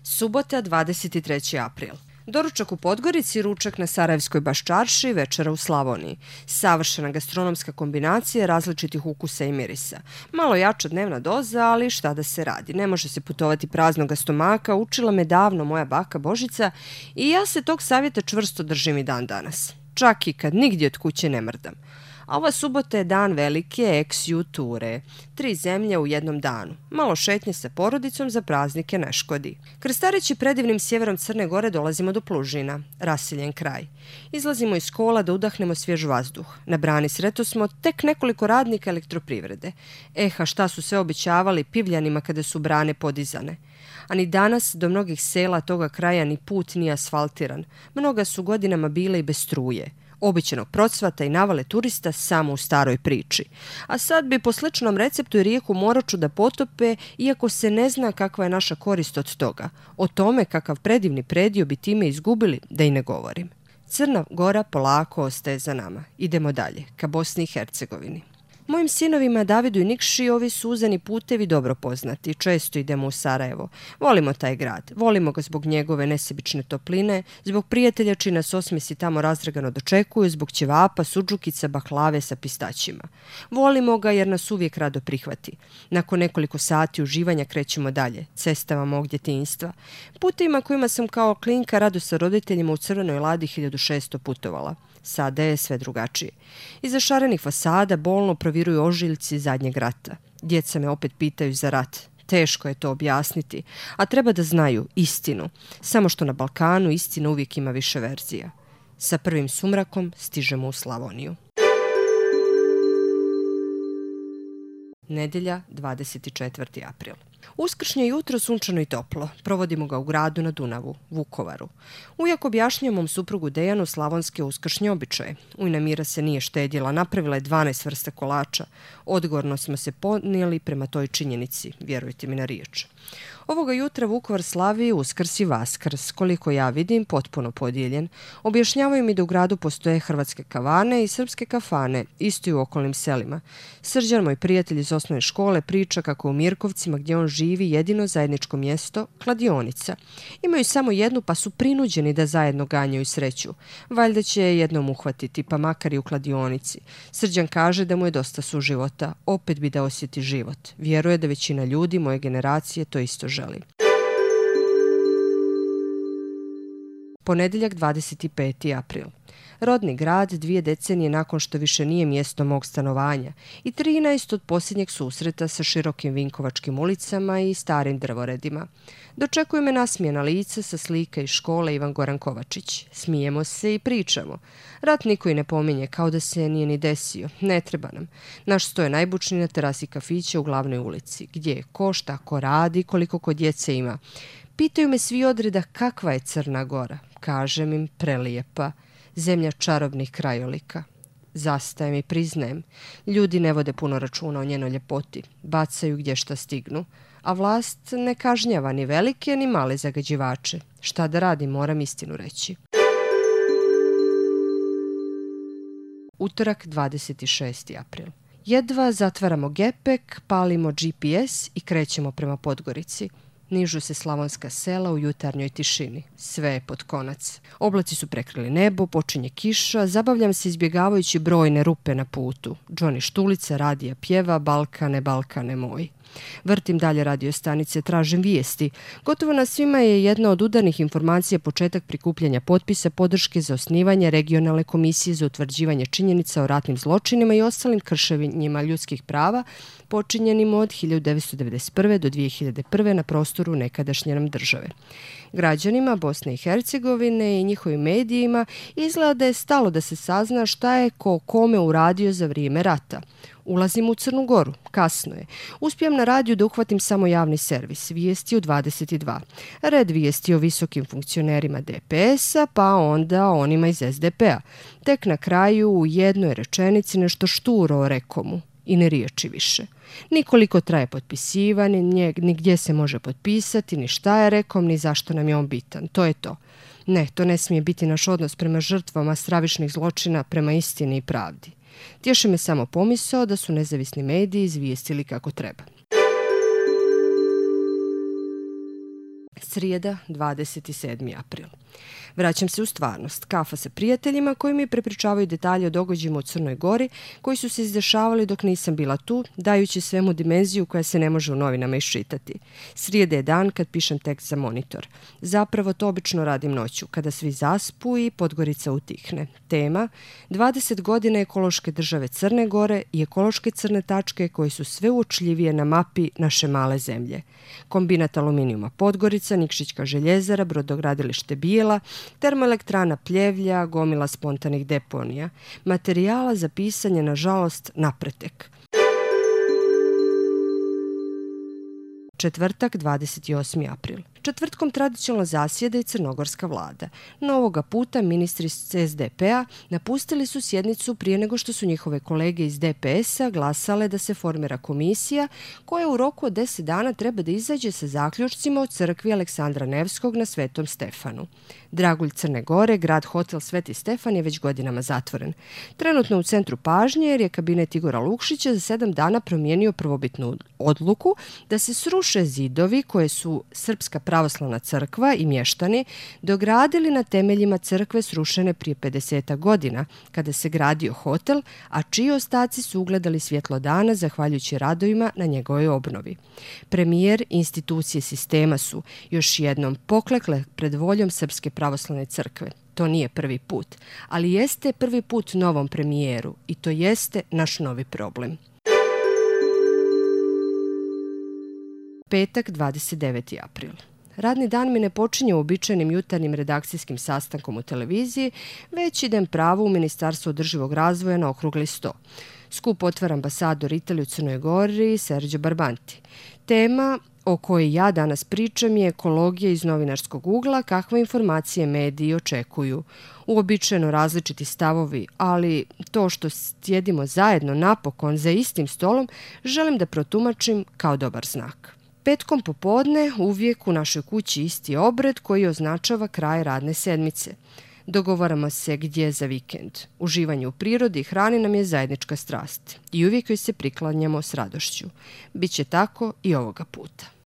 Subota, 23. april. Doručak u Podgorici, ručak na Sarajevskoj Baščarši, večera u Slavoniji. Savršena gastronomska kombinacija različitih ukusa i mirisa. Malo jača dnevna doza, ali šta da se radi. Ne može se putovati praznoga stomaka, učila me davno moja baka Božica i ja se tog savjeta čvrsto držim i dan danas. Čak i kad nigdje od kuće ne mrdam. A ova subota je dan velike ex-juture. 3 zemlje u jednom danu. Malo šetnje sa porodicom za praznike ne škodi. Krstareći predivnim sjeverom Crne Gore dolazimo do Plužina, raseljen kraj. Izlazimo iz kola da udahnemo svjež vazduh. Na brani sretosmo tek nekoliko radnika elektroprivrede. A šta su sve obećavali Pivljanima kada su brane podizane. A ni danas do mnogih sela toga kraja ni put nije asfaltiran. Mnoga su godinama bile i bez struje. Običanog procvata i navale turista samo u staroj priči. A sad bi po sličnom receptu i rijeku Moraču da potope, iako se ne zna kakva je naša korist od toga. O tome kakav predivni predio bi time izgubili, da i ne govorim. Crna Gora polako ostaje za nama. Idemo dalje, ka Bosni i Hercegovini. Mojim sinovima Davidu i Nikši ovi su uzani putevi dobro poznati. Često idemo u Sarajevo. Volimo taj grad. Volimo ga zbog njegove nesebične topline, zbog prijatelja čiji nas osmisi tamo razdragano dočekuju, zbog ćevapa, sudžukica, baklave sa pistaćima. Volimo ga jer nas uvijek rado prihvati. Nakon nekoliko sati uživanja krećemo dalje, cestama mog djetinjstva. Putevima kojima sam kao klinka rado sa roditeljima u Crvenoj Ladi 1600 putovala. Sada je sve drugačije. Iza šarenih fasada bolno proviruju ožiljci zadnjeg rata. Djeca me opet pitaju za rat. Teško je to objasniti, a treba da znaju istinu. Samo što na Balkanu istina uvijek ima više verzija. Sa prvim sumrakom stižemo u Slavoniju. Nedjelja, 24. april. Uskršnje jutro sunčano i toplo. Provodimo ga u gradu na Dunavu, Vukovaru. Ujak objašnjuje mom suprugu Dejanu slavonske uskršnje običaje. Ujna Mira se nije štedjela, napravila je 12 vrsta kolača. Odgovorno smo se ponijeli prema toj činjenici, vjerujte mi na riječ. Ovoga jutra Vukovar slavi Uskrs i Vaskrs, koliko ja vidim, potpuno podijeljen. Objašnjavaju mi da u gradu postoje hrvatske kavane i srpske kafane, isto i u okolnim selima. Srđan, moj prijatelj iz osnovne škole, priča kako u Mirkovcima, gdje on živi, jedino zajedničko mjesto, kladionica. Imaju samo jednu, pa su prinuđeni da zajedno ganjaju sreću. Valjda će je jednom uhvatiti, pa makar i u kladionici. Srđan kaže da mu je dosta suživota, opet bi da osjeti život. Vjeruje da većina ljudi moje generacije to isto želi. Ponedjeljak, 25. april. Rodni grad 2 decenije nakon što više nije mjesto mog stanovanja i 13 od posljednjeg susreta sa širokim vinkovačkim ulicama i starim drvoredima. Dočekuju me nasmijena lica sa slika iz škole Ivan Goran Kovačić. Smijemo se i pričamo. Rat niko i ne pominje, kao da se nije ni desio. Ne treba nam. Naš sto je najbučniji na terasi kafića u glavnoj ulici. Gdje je ko, šta ko radi, koliko ko djece ima. Pitaju me svi odreda kakva je Crna Gora. Kažem im prelijepa. Zemlja čarobnih krajolika. Zastajem i priznajem. Ljudi ne vode puno računa o njenoj ljepoti. Bacaju gdje šta stignu. A vlast ne kažnjava ni velike ni male zagađivače. Šta da radi, moram istinu reći. Utorak, 26. april. Jedva zatvaramo gepek, palimo GPS i krećemo prema Podgorici. Nižu se slavonska sela u jutarnjoj tišini. Sve je pod konac. Oblaci su prekrili nebo, počinje kiša, zabavljam se izbjegavajući brojne rupe na putu. Johnny Štulica radija pjeva Balkane, Balkane moj. Vrtim dalje radio stanice, tražim vijesti. Gotovo na svima je jedna od udarnih informacija početak prikupljanja potpisa podrške za osnivanje regionalne komisije za utvrđivanje činjenica o ratnim zločinima i ostalim kršenjima ljudskih prava počinjenim od 1991. do 2001. na prostoru nekadašnje nam države. Građanima Bosne i Hercegovine i njihovim medijima izgleda da je stalo da se sazna šta je ko kome uradio za vrijeme rata. Ulazim u Crnu Goru, kasno je. Uspijem na radiju da uhvatim samo javni servis, vijesti u 22. Red vijesti o visokim funkcionerima DPS-a, pa onda onima iz SDP-a. Tek na kraju u jednoj rečenici nešto šturo o Rekomu i ne riječi više. Nikoliko traje potpisivanje, ni gdje se može potpisati, ni šta je Rekom, ni zašto nam je on bitan. To je to. Ne, to ne smije biti naš odnos prema žrtvama stravičnih zločina, prema istini i pravdi. Tješi me samo pomisao da su nezavisni mediji izvijestili kako treba. Srijeda, 27. april. Vraćam se u stvarnost. Kafa sa prijateljima koji mi prepričavaju detalje o događajima u Crnoj Gori koji su se izdešavali dok nisam bila tu, dajući svemu dimenziju koja se ne može u novinama iščitati. Srijeda je dan kad pišem tekst za Monitor. Zapravo to obično radim noću, kada svi zaspu i Podgorica utihne. Tema: 20 godina ekološke države Crne Gore i ekološke crne tačke koje su sve uočljivije na mapi naše male zemlje. Kombinat aluminijuma Podgorica, Nikšićka željezara, brodogradilište Bijela, termoelektrana Pljevlja, gomila spontanih deponija. Materijala za pisanje, nažalost, napretek. Četvrtak, 28. april. Četvrtkom tradicionalno zasjeda i crnogorska vlada. No ovoga puta ministri SDP-a napustili su sjednicu prije nego što su njihove kolege iz DPS-a glasale da se formira komisija koja u roku od 10 dana treba da izađe sa zaključcima o crkvi Aleksandra Nevskog na Svetom Stefanu. Dragulj Crne Gore, grad hotel Sveti Stefan je već godinama zatvoren. Trenutno u centru pažnje jer je kabinet Igora Lukšića za 7 dana promijenio prvobitnu odluku da se sruše zidovi koje su Srpska pravoslavna crkva i mještani dogradili na temeljima crkve srušene prije 50 godina, kada se gradio hotel, a čiji ostaci su ugledali svjetlo dana zahvaljujući radovima na njegovoj obnovi. Premijer i institucije sistema su još jednom poklekle pred voljom Srpske pravoslavne crkve. To nije prvi put, ali jeste prvi put novom premijeru i to jeste naš novi problem. Petak, 29. april. Radni dan mi ne počinje uobičajenim jutarnjim redakcijskim sastankom u televiziji, već idem pravo u Ministarstvo održivog razvoja na okrugli sto. Skup otvara ambasador Italije u Crnoj Gori Sergio Barbanti. Tema o kojoj ja danas pričam je ekologija iz novinarskog ugla, kakve informacije mediji očekuju. Uobičajeno različiti stavovi, ali to što sjedimo zajedno napokon za istim stolom, želim da protumačim kao dobar znak. Petkom popodne uvijek u našoj kući isti obred koji označava kraj radne sedmice. Dogovaramo se gdje za vikend. Uživanje u prirodi i hrani nam je zajednička strast i uvijek joj se priklanjamo s radošću. Biće tako i ovoga puta.